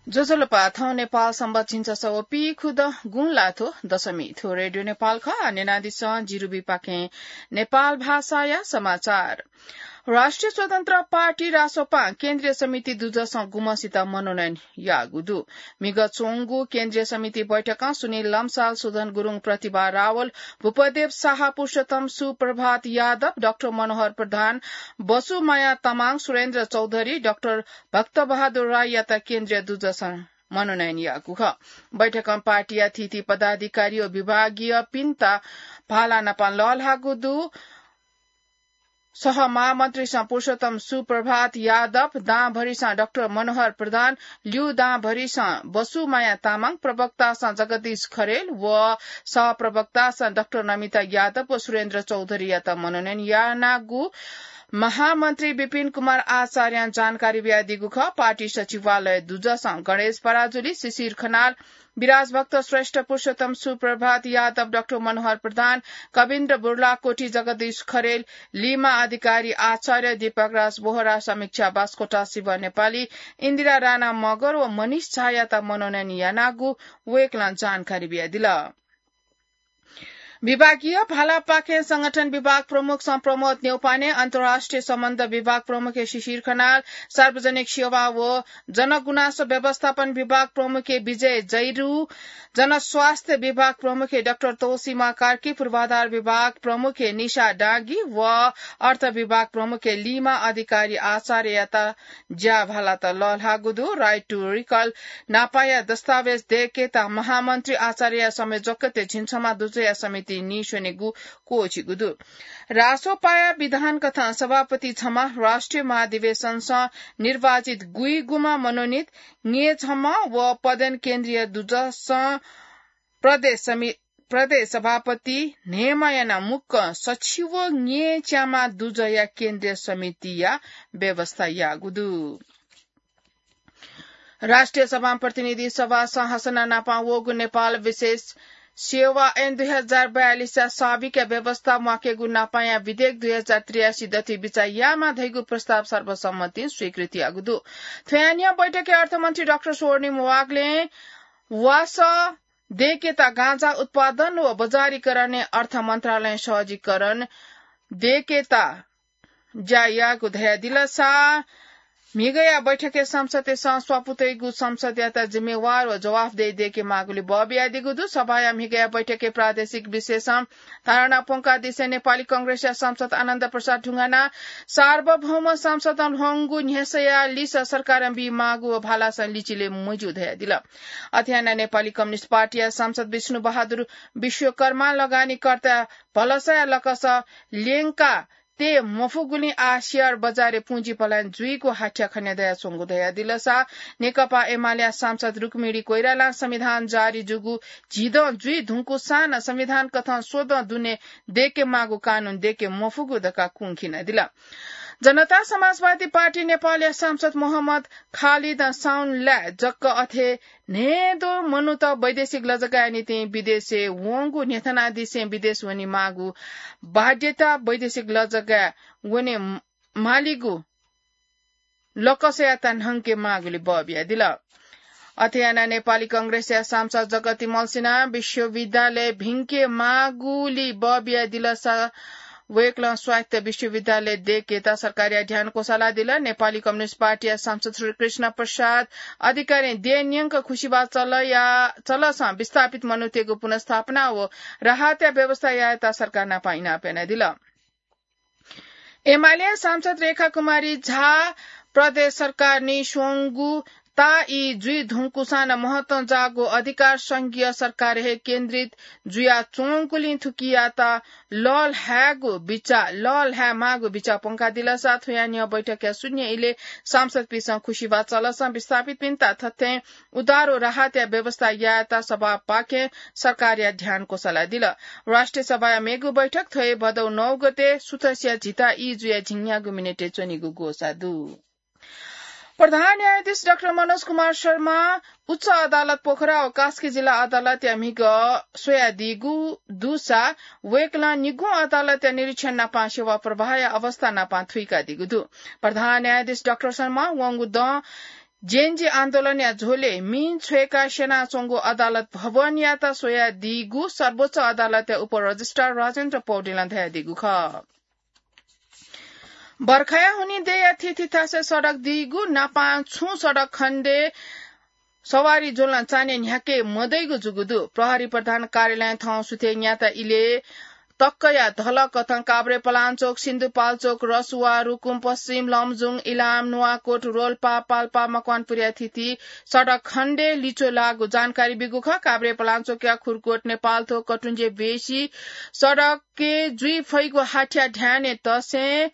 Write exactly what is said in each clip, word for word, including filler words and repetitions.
ज्वजलपा, थौं नेपाल संवत झिंछसः व पीखुदँ गुंलाथ्व दशमी। थ्व रेडियो नेपाल खः। न्यनादिसँ जिरुबीपाखें नेपाल भाषाया समाचार। राष्ट्रिय स्वतन्त्र पार्टी रासोपां केन्द्रीय समिति दुजसं गुम्हसित मनोनयन याःगु दु। म्हिगः च्वंगु केन्द्रीय समिति बैठकं सुनिल लम्साल, सुदन गुरुङ, प्रतिभा रावल, भूपदेव शाह, पुरुषोत्तम सुप्रभात यादव, डाक्टर मनोहर प्रधान, बसुमाया तामाङ, सुरेन्द्र चौधरी, डाक्टर भक्तबहादुर राईयात केन्द्रीय दुजसं मनोनयन याःगु खः। बैठकं पार्टीया थीथी पदाधिकारी व विभागीयपिन्त भाला नाप लःल्हाःगु दु। सहमहामन्त्रीसं पुरुषोत्तम सुप्रभात यादव, दांभरिसं डाक्टर मनोहर प्रधान, ल्यू दांभरिसं बसुमाया तामाङ, प्रवक्तासं जगदीश खरेल व सहप्रवक्तासं डाक्टर नमिता यादव व सुरेन्द्र चौधरीयात मनोनयन यानागु महामन्त्री विपिन कुमार आचार्यं जानकारी बियादीगु खः। पार्टी सचिवालय दुजसं गणेश पराजुली, शिशिर खनाल, विराजभक्त श्रेष्ठ, पुरुषोत्तम सुप्रभात यादव, डाक्टर मनोहर प्रधान, कविन्द्र बुर्लाकोटी, जगदीश खरेल, लिमा अधिकारी आचार्य, दीपकराज बोहरा, समीक्षा बास्कोटा, शिव नेपाली, इन्दिरा राणा मगर व मनिष झायात मनोनयन यानागु वय्कलं जानकारी बियादिल। विभागीय भालापाखें संगठन विभाग प्रमुखसं प्रमोद न्यौपाने, अन्तर्राष्ट्रिय सम्बन्ध विभाग प्रमुखे शिशिर खनाल, सार्वजनिक सेवा व जनगुनासो व्यवस्थापन विभाग प्रमुखे विजय जैरू, जनस्वास्थ्य विभाग प्रमुखे डाक्टर तोसीमा कार्की, पूर्वाधार विभाग प्रमुखे निशा डाँगी व अर्थ विभाग प्रमुखे लिमा अधिकारी आचार्ययात ज्या भालात लःल्हाःगु दु। Right to Recall नापाया दस्तावेज दय्केत महामन्त्री आचार्यया संयोजकत्वय् झिंछम्ह दुजया समिति नीस्वनेगु क्वःछिगु दु। रासोपाया विधान कथं सभापति छम्ह, राष्ट्रिय महाधिवेशनसं निर्वाचित गुइगुम्ह मनोनित, न्येछम्ह व पदेन केन्द्रीय दुजसं प्रदेश समि-, प्रदेश सभापति न्हय्म्ह यानाः मुक्कं सछि व न्येच्याम्ह दुजया केन्द्रीय समितिया व्यवस्था याःगु दु। राष्ट्रिय सभां प्रतिनिधि सभा संरचना नाप वःगु नेपाल विशेष सेवा ऐन दुई हजार बयालिसया साविकया व्यवस्था म्वाकेगु नापाया विधेयक दुई हजार त्रियासी दथुइ बिचाः यायेमाः धइगु प्रस्ताव सर्वसम्मतिं स्वीकृत याःगु दु। थ्वयां न्ह्यः बैठकय् अर्थमन्त्री डाक्टर स्वर्णिम वाग्लें वासः दय्केत गाँजा उत्पादन व बजारीकरणय् अर्थ मन्त्रालयं सहजीकरण दय्केत ज्या याःगु धयादिलसा म्हिगःया बैठकय् सांसदतय्सं स्वापू तइगु संसदयात जिम्मेवार व जवाफदेही दय्केमाःगुलिं बः बियादीगु दु। सभाया म्हिगःया बैठकय् प्रादेशिक विषयसं धारणा प्वंकादिसें नेपाली कंग्रेसया सांसद आनन्द प्रसाद ढुङ्गानां सार्वभौम संसदं ल्ह्वंगु न्ह्यसःया लिसः सरकारं बीमाःगु व भालासं लिचिले मज्यू धयादिल। अथे यानाः नेपाली कम्युनिस्ट पार्टीया सांसद विष्णु बहादुर विश्वकर्मां लगानीकर्ता भलसाया लकस ल्यंका तये मफुगुलिं आः सेयर बजारय् पुँजी पलायन जुइगु हाथ्या खने दयाच्वंगु धयादिलसा नेकपा एमालेया सांसद रुक्मिणी कोइरालां संविधान जारी जूगु झिदँ जुइ धुंकूसां नं संविधान कथं स्वदँ दुने दय्केमाःगु कानून दय्के मफुगु धकाः कुंखिनादिल। जनता समाजवादी पार्टी नेपालया सांसद मोहम्मद खालिदं साउनलाय् जक अथे न्हय्दँ मनूत वैदेशिक लजगाःया निंतिं विदेशय् वंगु न्ह्यथनादिसें विदेश वनेमाःगु बाध्यता वैदेशिक लजगाः वने मालीगु लकसयात न्हंकेमाःगुलिं बः बियादिल। अथे यानाः नेपाली कंग्रेसया सांसद जगती मल्लसिन्हां विश्वविद्यालय भिंकेमाःगुलिं बः बियादिलसा वय्कलं स्वायत्त विश्वविद्यालय दय्केत सरकारया ध्यान क्वसालादिल। नेपाली कम्युनिस्ट पार्टीया सांसद श्रीकृष्ण प्रसाद अधिकारीं देय् न्यंक खुसिबा चलया, चलसं विस्थापित मनूतय्गु पुनर्स्थापना व राहतया व्यवस्था यायेत सरकार नाप इनाप यानादिल। एमाले सांसद रेखा कुमारी झा प्रदेश सरकारं नीस्वंगु ताःई जुइ धुंकूसां नं महत्वं जाःगु अधिकार संघीय सरकार हे केन्द्रित जुयाच्वंगुलिं थुकियात लःल्हायेगु बिचाः, लःल्हायेमाःगु बिचाः प्वंकादिलसा थ्वयां न्ह्यः बैठकया शून्य इलय् सांसदपिन्सं खुसिबा चलसं विस्थापितपिन्त थथें उद्धार व राहतया व्यवस्था यायेत सभापाखें सरकारया ध्यान क्वसालादिल। राष्ट्रिय सभाया मेगु बैठक थ्व हे भदौ नौ गते सुथसिया झिता ई जुया झिंन्यागू मिनेटय् च्वनीगु ग्वसाः दु। प्रधान न्यायाधीश डाक्टर मनोज कुमार शर्मा उच्च अदालत पोखरा व कास्की जिल्ला अदालतया म्हिगः स्वयादीगु दुसा वय्कलं निगू अदालतया निरीक्षण नाप सेवा प्रवाहया अवस्था नाप थुइकादीगु दु। प्रधान न्यायाधीश डाक्टर शर्मा वंगु दँ जेएनजी आन्दोलनया झोलय् मिं छ्वय्‌का स्यनाच्वंगु अदालत भवनयात स्वयादीगु सर्वोच्च अदालतया उपरजिस्ट्रार राजेन्द्र पौडेलं धयादीगु खः। बर्खाया हुनिं देय्‌या थीथी थासय् सडक दीगु नापां छुं सडक खण्डय् सवारी ज्वलं चान्हय् न्ह्याके मदइगु जूगु दु। प्रहरी प्रधान कार्यालयं थौं सुथय् न्याता इलय् तक्कया धलकथं काभ्रेपलाञ्चोक, सिन्धुपाल्चोक, रसुवा, रुकुम पश्चिम, लमजुङ, इलाम, नुवाकोट, रोल्पा, पाल्पा, मकवानपुरया थीथी सडक खण्डय् लिच्वः लाःगु जानकारी ब्यूगु खः। काभ्रेपलाञ्चोकया खुरकोट, नेपालथ्व, कटुञ्जे बेसी सडकय् जुइ फइगु हाथ्या ध्यानय् तसें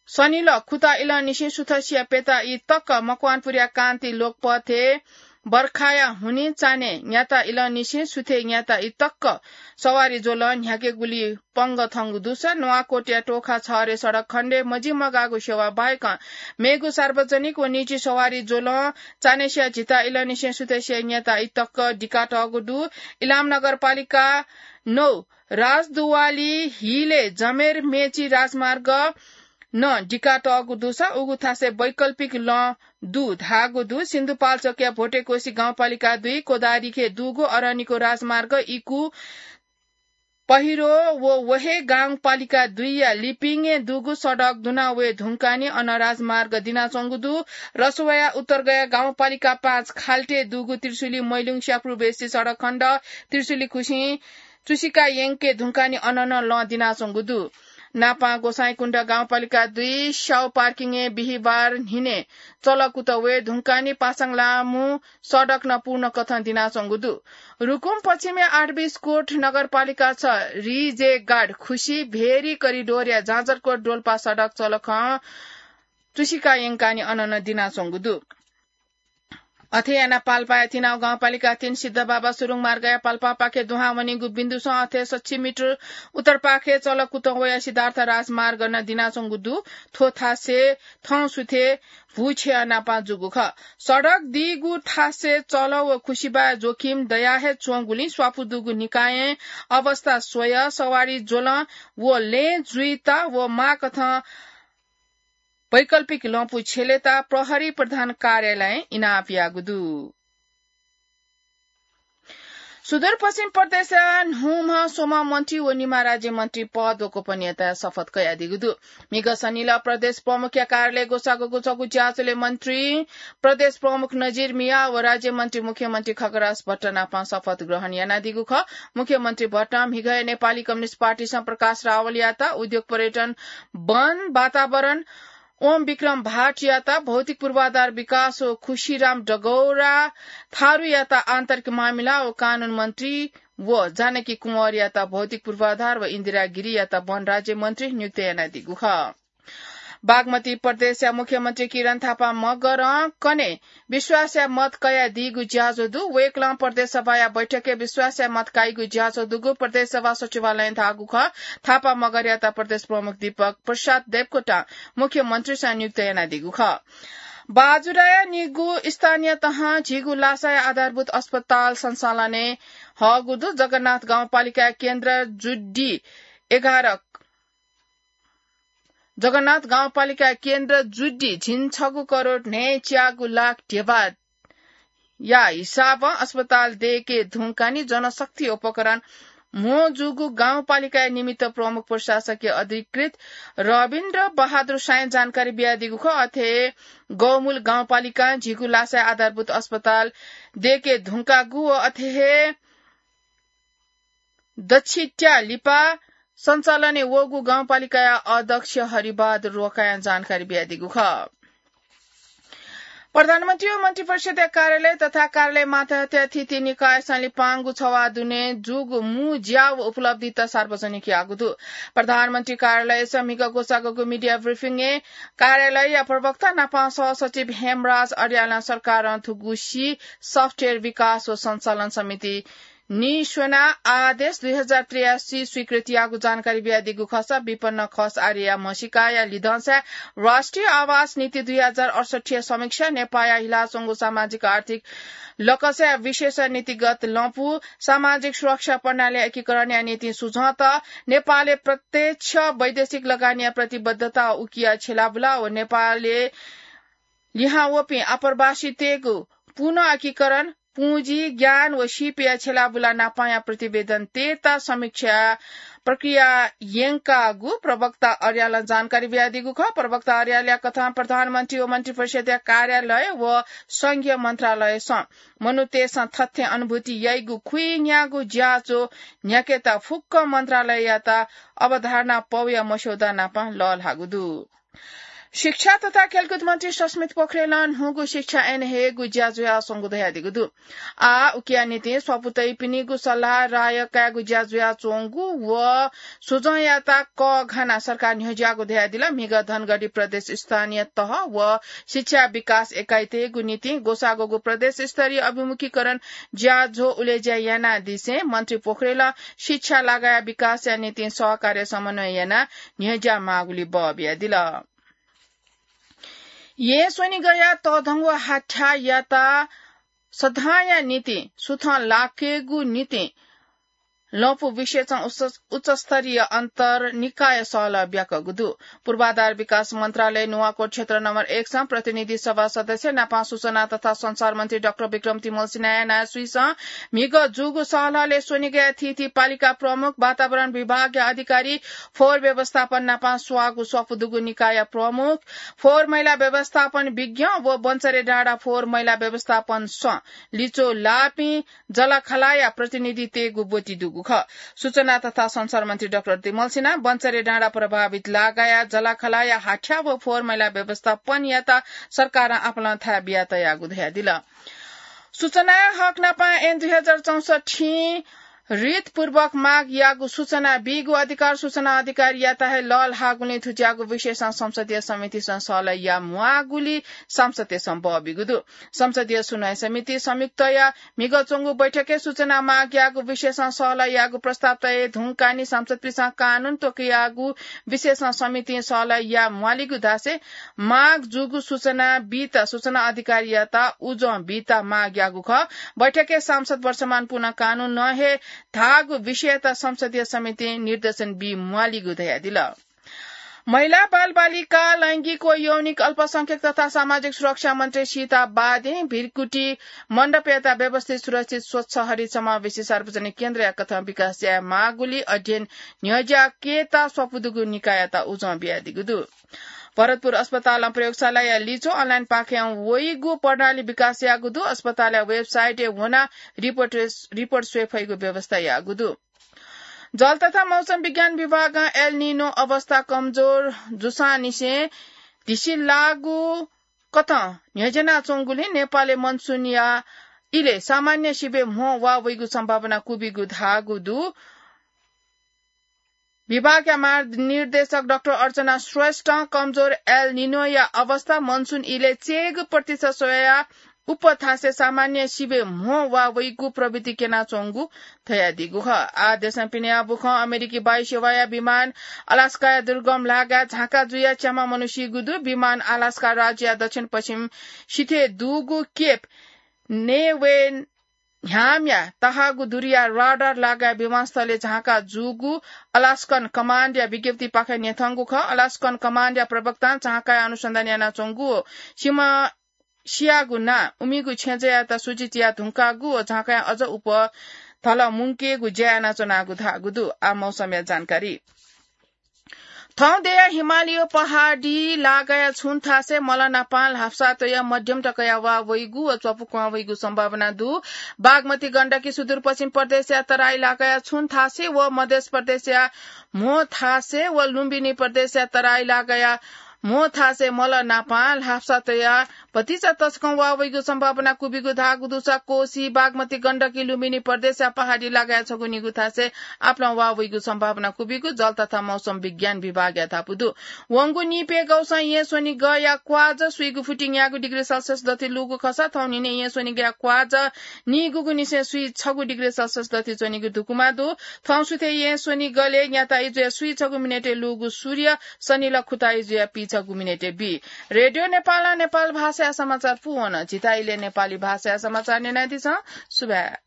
सनिलः खुता इलंनिसें सुथसिया प्यता ई तक मकवानपुरया कान्ति लोकपथय् बर्खाया हुनिं चान्हय् न्याता इलंनिसें सुथय् न्याता ई तक सवारी ज्वलं न्ह्याकेगुली पंगः थंगु दुसा नुवाकोटया टोखा छहरे सडक खण्डय् मजिमगाःगु सेवा बाहेकं मेगु सार्वजनिक व निजी सवारी ज्वलं चान्हय्‌सिया झिता इलंनिसें सुथसिया न्याता ई तक दिकातःगु दु। इलाम नगरपालिका नौ राजदुवाली हिलय् जमेर मेची राजमार्ग नं दिकातःगु दुसा उगु थासय् वैकल्पिक लँ दु धाःगु दु। सिन्धुपाल्चोकया भोटेकोशी गाउँपालिका दुई कोदारिखे दुगु अरनिको राजमार्ग इकु पहिरो व वहे गाउँपालिका दुईया लिपिङय् दुगु सडक दुना वये धुंकानि अन राजमार्ग दिनाच्वंगु दु। रसुवाया उत्तरगया गाउँपालिका पाँच खाल्टे दुगु त्रिशुली मैलुङ स्यापुरु बेसी सडक खण्ड त्रिशुली खुसिं चुसिका यंके धुंकानि अननं लँ दिनाच्वंगु दु। नापां गोसाइँकुण्ड गाउँपालिका दुई स्याउ पार्किङय् बिहिबार न्हिनय् चलकुत वये धुंकानि पासाङ लामु सडक नं पूर्ण कथं दिनाच्वंगु दु। रुकुम पश्चिमया आठबीस कोट नगरपालिका छ रिजेगाड खुसी भेरी करिडोरया जाजरकोट डोल्पा सडक चलखं चुसिका यंकानि अननं दिनाच्वंगु दु। अथे यानाः पाल्पाया तिनाउ गाउँपालिका तीन सिद्धबाबा सुरुङ मार्गया पाल्पापाखे दुहां वनीगु बिन्दुसं अथे सच्छि मिटर उत्तरपाखे चलकुतं वया सिद्धार्थ राजमार्ग नं दिनाच्वंगु दु। थ्व थासय् थौं सुथय् भूछेया नापां जूगु खः। सडक दीगु थासय् चलः व खुसिबाय् जोखिम दया हे च्वंगुलिं स्वापू दुगु निकायं अवस्था स्वयाः सवारी ज्वलं व लँय् जुइत व माःकथं वैकल्पिक लँपु छ्यलेत प्रहरी प्रधान कार्यालयं इनाप याःगु दु। सुदूरपश्चिम प्रदेशया न्हूम्ह स्वम्ह मन्त्री व निम्ह राज्यमन्त्री पद व गोपनीयताया शपथ कयादीगु दु। म्हिगः सनिलः प्रदेश प्रमुखया कार्यालय ग्वसाःगु गुछगू ज्याझ्वलय् मन्त्री प्रदेश प्रमुख नजिर मियाः व राज्यमन्त्री मुख्यमन्त्री खगराज भट्ट नाप शपथ ग्रहण यानादीगु खः। मुख्यमन्त्री भट्टं म्हिगःया नेपाली कम्युनिस्ट पार्टीसं प्रकाश रावलयात, उद्योग पर्यटन, वन, वातावरण, ओम विक्रम भाटयात भौतिक पूर्वाधार विकास व खुशीराम डगौरा थारुयात आन्तरिक मामिला व कानून मन्त्री व जानकी कुँवरयात भौतिक पूर्वाधार व इन्दिरा गिरीयात वन राज्य मन्त्री नियुक्त यानादीगु खः। बागमती प्रदेशया मुख्यमन्त्री किरण थापा मगरं कन्हय् विश्वासया मत कयादीगु ज्याझ्वः दु। वय्कलं प्रदेश सभाया बैठकय् विश्वासया मत काइगु ज्याझ्वः दुगु प्रदेश सभा सचिवालयं धाःगु खः। थापा मगरयात प्रदेश प्रमुख दीपक प्रसाद देवकोटां मुख्यमन्त्रीसं नियुक्त यानादीगु खः। बाजुराया निगू स्थानीय तहं झीगू लासाया आधारभूत अस्पताल सञ्चालनय् हःगु दु। जगन्नाथ गाउँपालिकाया केन्द्र जुड्डी एघार जगन्नाथ गाउँपालिकाया केन्द्र जुड्डी झिंछगू करोड न्हय्च्यागू लाख ध्यबाया हिसाबं अस्पताल दय्के धुंकानि जनशक्ति उपकरण म्हो जूगु गाउँपालिकाया निमित्त प्रमुख प्रशासकीय अधिकृत रविन्द्र बहादुर सायं जानकारी बियादीगु खः। अथे गौमूल गाउँपालिकां झीगू लासाया आधारभूत अस्पताल दय्के धुंकागु व अथे हे दच्छित्या लिपा सञ्चालनय् वःगु गाउँपालिकाया अध्यक्ष हरिबहादुर रोकायां जानकारी बियादीगु खः। प्रधानमन्त्री व मन्त्रिपरिषद्या कार्यालय तथा कार्यालय मातहतया थीथी निकायसं लिपांगु छवाः दुने जूगु मू ज्या व उपलब्धित सार्वजनिक याःगु दु। प्रधानमन्त्री कार्यालयसं म्हिगः ग्वसाःगु media briefing-य् कार्यालयया प्रवक्ता नापं सहसचिव हेमराज अर्यालं सरकारं थुगुसी software विकास व सञ्चालन समिति निस्वना आदेश दुई हजार त्रियासी स्वीकृत याःगु जानकारी बियादीगु खःसा विपन्न खस आर्यया म्हसीकाया लिधंसाय् राष्ट्रिय आवास नीति दुई हजार अडसठ्ठीया समीक्षा, नेपाःया हिलाच्वंगु सामाजिक आर्थिक लकसया विशेष नीतिगत लँपु, सामाजिक सुरक्षा प्रणाली एकीकरणया निंतिं सुझौता, नेपालय् प्रत्यक्ष वैदेशिक लगानीया प्रतिबद्धता उकिया छेलाबुला व नेपालय् लिहां वःपिं आप्रवासीतय्गु पुनःएकीकरण, पुँजी, ज्ञान व सीपया छेलाबुला नापांया प्रतिवेदन तयेत समीक्षा प्रक्रिया यंकागु प्रवक्ता अर्यालं जानकारी बियादीगु खः। प्रवक्ता अर्यालया कथं प्रधानमन्त्री व मन्त्रिपरिषदया कार्यालय व संघीय मन्त्रालयसं मनूतय्सं थथे अनुभूति याइगु खुइन्यागू ज्याझ्वः न्ह्याकेत फुक्क मन्त्रालययात अवधारणा पौया मस्यौदा नाप लःल्हाःगु दु। शिक्षा तथा खेलकुद मन्त्री सस्मित पोखरेलं न्हूगु शिक्षा ऐन हयेगु ज्या जुयाच्वंगु धयादीगु दु। आः उकिया निंतिं स्वापू तइपिनिगु सल्लाह राय कायेगु ज्या जुयाच्वंगु व सुझंयात कःघानाः सरकार न्ह्यज्याःगु धयादिल। म्हिगः धनगढी प्रदेश स्थानीय तह व शिक्षा विकास एकाइतय्गु निंतिं ग्वसाः ग्वःगु प्रदेश स्तरीय अभिमुखीकरण ज्याझ्वः उलेज्या यानादिसें मन्त्री पोखरेलं शिक्षा लागाया विकासया निंतिं सहकार्य समन्वय यानाः न्ह्यज्या माःगुली बः बियादिल। येँ स्वनिगःया तःधंगु हाथ्याःयात सदांया निंतिं सुथं लाकेगु निंतिं लँपु विशेषं उच्च, उच्चस्तरीय अन्तर निकाय सहलह ब्याकःगु दु। पूर्वाधार विकास मन्त्रालय नुवाकोट क्षेत्र नम्बर एक सं प्रतिनिधि सभा सदस्य नापं सूचना तथा संचार मन्त्री डाक्टर विक्रम तिमल सिन्हाया नायःसुइसं म्हिगः जूगु सहलहलय् स्वनिगःया थीथी पालिका प्रमुख, वातावरण विभागया अधिकारी, फोहोर व्यवस्थापन नापं स्वाःगु स्वापू दुगु निकायया प्रमुख, फोहोर मैला व्यवस्थापन विज्ञ व बन्चरे डाँडा फोहोर मैला व्यवस्थापन सं लिच्वः लाःपिं जलाखलाया प्रतिनिधितय्गु ब्वति दुगु खः। सूचना तथा संचार मन्त्री डाक्टर तिमल सिन्हा बन्चरे डाँडा प्रभावित लागाया जलाखलाया हाथ्याः व फोहोर मैला व्यवस्थापनयात सरकारं आपालं थाय् बिया तयागु धयादिल। सूचनाया हक नापं ऐन दुई हजार चौसठ्ठीं रीतपूर्वक माग याःगु सूचना बीगु अधिकार सूचना अधिकारीयात हे लःल्हाःगुलिं थुज्याःगु विषयसं संसदीय समितिसं सहलह याये म्वाःगुली सांसदतय्सं बः बीगु दु। संसदीय सुनवाई समिति संयुक्तया म्हिगः च्वंगु बैठकय् सूचना माग याःगु विषयसं सहलह याःगु प्रस्ताव तये धुंकाः नि सांसदपिन्सं कानून त्वकयाःगु विषयसं समितिं सहलह याये म्वालीगु धासें माग जूगु सूचना बीत सूचना अधिकारीयात उजं बीत माग याःगु खः। बैठकय् सांसद वर्षमान पुनः कानूनं हे धाःगु विषयत संसदीय समितिं निर्देशन बी म्वालीगु धयादिल। महिला, बालबालिका, लैंगिक व यौनिक अल्पसंख्यक तथा सामाजिक सुरक्षा मन्त्री सीता बादें भिरकुटी मण्डपयात व्यवस्थित, सुरक्षित, स्वच्छ, हरित, समावेशी सार्वजनिक केन्द्रया कथं विकास याये माःगुली अध्ययन न्ह्यज्याकेत स्वापू दुगु निकाययात उजं बियादीगु दु। भरतपुर अस्पतालं प्रयोगशालाया लिच्वः अनलाइन पाखें वइगु प्रणाली विकास याःगु दु। अस्पतालया वेबसाइटय् वनाः रिपोर्ट, रिपोर्ट स्वये फइगु व्यवस्था याःगु दु। जल तथा मौसम विज्ञान विभागं एल निनो अवस्था कमजोर जूसांनिसें धिसिलाःगु कथं न्ह्यज्यानाच्वंगुलिं नेपालय् मनसुनया इलय् सामान्य सिबय् म्हो वा वइगु सम्भावना क्वबिगु धाःगु दु। विभागया महानिर्देशक डाक्टर अर्चना श्रेष्ठं कमजोर एल निनोया अवस्था मनसुन इलय् चय्गू प्रतिशत स्वयाः उप थासय् सामान्य सिबय् म्हो वा वइगु प्रवृत्ति क्यनाच्वंगु धयादीगु खः। आः देशं पिने याःगु बुखँ अमेरिकी वायुसेवाया विमान अलास्काया दुर्गम लागाय् झांका जुयाः च्याम्ह मनू सीगु दु। विमान अलास्का राज्यया दक्षिण पश्चिम सिथय् दुगु केप नेवेन ह्यामया तहाःगु दूरीया राडार लागाय् विमानस्थलय् झांका जूगु अलास्कन कमान्डया विज्ञप्तिपाखें न्ह्यथंगु खः। अलास्कन कमान्डया प्रवक्तां झांकाया अनुसन्धान यानाच्वंगु व सिमा सियागु नां उमिगु छेँजःयात सूचित याये धुंकागु व झांकाया अझ उप धल मुंकेगु ज्या यानाच्वनागु धाःगु दु। आः मौसमया जानकारी। थौं देया हिमालय पहाडी लागाया छुं थासय् मल नापां ल्हापसा तया मध्यम तकया वा वइगु व च्वपुक्वां वइगु सम्भावना दु। बागमती गण्डकी सुदूरपश्चिम प्रदेशया तराई लागाया छुं थासय् व मध्य प्रदेशया म्हो थासय् व लुम्बिनी प्रदेशया तराई लागाया म्हो थासय् मल नापां ल्हापसा तया भतिचा तसकं वा वइगु सम्भावना क्वबिगु धाःगु दुसा कोशी, बागमती, गण्डकी, लुम्बिनी प्रदेशया पहाडी लागाया छगू निगू थासय् आपालं वा वइगु सम्भावना क्वबिगु जल तथा मौसम विज्ञान विभागया धापू दु। वंगु निपय् गौसं येँ स्वनिगःया क्वाःझः सुइगु फुति न्यागू डिग्री सेल्सियस दथुइ लूगु खःसा थौं न्हिनय् येँ स्वनिगःया क्वाःझः नीगूगु निसें सुइ छगू डिग्री सेल्सियस दथुइ च्वनीगु धुकुमा दु। थौं सुथय् येँ स्वनिगलय् न्याता इजुया सुइ छगू मिनेटय् लूगु सूर्य सनिल खुता इजुया पीछगू मिनेटय् बी। रेडियो नेपालं नेपाल भाषाया समाचार पूवन। झीत इलय् नेपाली भाषाया समाचार न्यनादिसँ। सुभाय्।